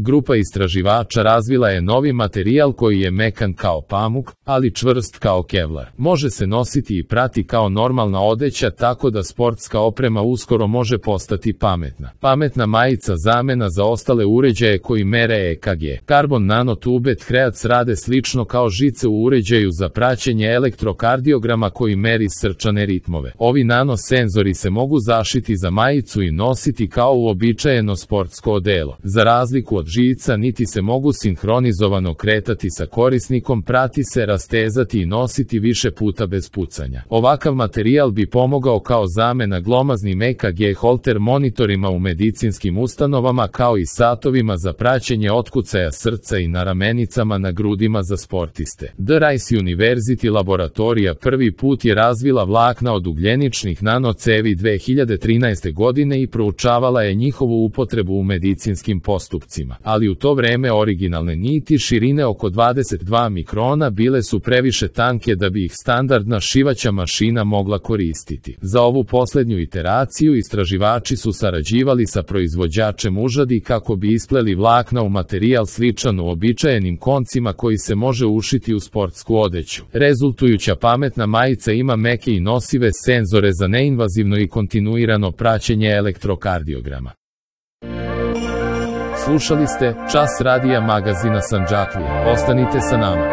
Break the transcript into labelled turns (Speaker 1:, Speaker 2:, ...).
Speaker 1: Grupa istraživača razvila je novi materijal koji je mekan kao pamuk, ali čvrst kao kevlar. Može se nositi i prati kao normalna odeća, tako da sportska oprema uskoro može postati pametna. Pametna majica zamena za ostale uređaje koji mere EKG. Karbon nanotube Threads rade slično kao žice u uređaju za praćenje elektrokardiograma koji meri srčane ritmove. Ovi nanosenzori se mogu zašiti za majicu i nositi kao uobičajeno sportsko odelo. Za razliku od žica, niti se mogu sinhronizovano kretati sa korisnikom, prati se, rastezati i nositi više puta bez pucanja. Ovakav materijal bi pomogao kao zamena glomaznim EKG holter monitorima u medicinskim ustanovama, kao i satovima za praćenje otkucaja srca i na ramenicama na grudima za sportiste. The Rice University laboratorija prvi put je razvila vlakna od ugljeničnih nanocevi 2013. godine i proučavala je njihovu upotrebu u medicinskim postupcima, ali u to vreme originalne niti širine oko 22 mikrona bile su previše tanke da bi ih standardna šivaća mašina mogla koristiti. Za ovu poslednju iteraciju istraživači su sarađivali sa proizvođačem užadi kako bi ispleli vlakna u materijal sličan uobičajenim koncima koji se može ušiti u sportsku odeću. Rezultujuća pametna majica ima meke i nosive senzore za neinvazivno i kontinuirano praćenje elektrokardiograma. Slušali ste Čas radija magazina Sandžaklija. Ostanite sa nama.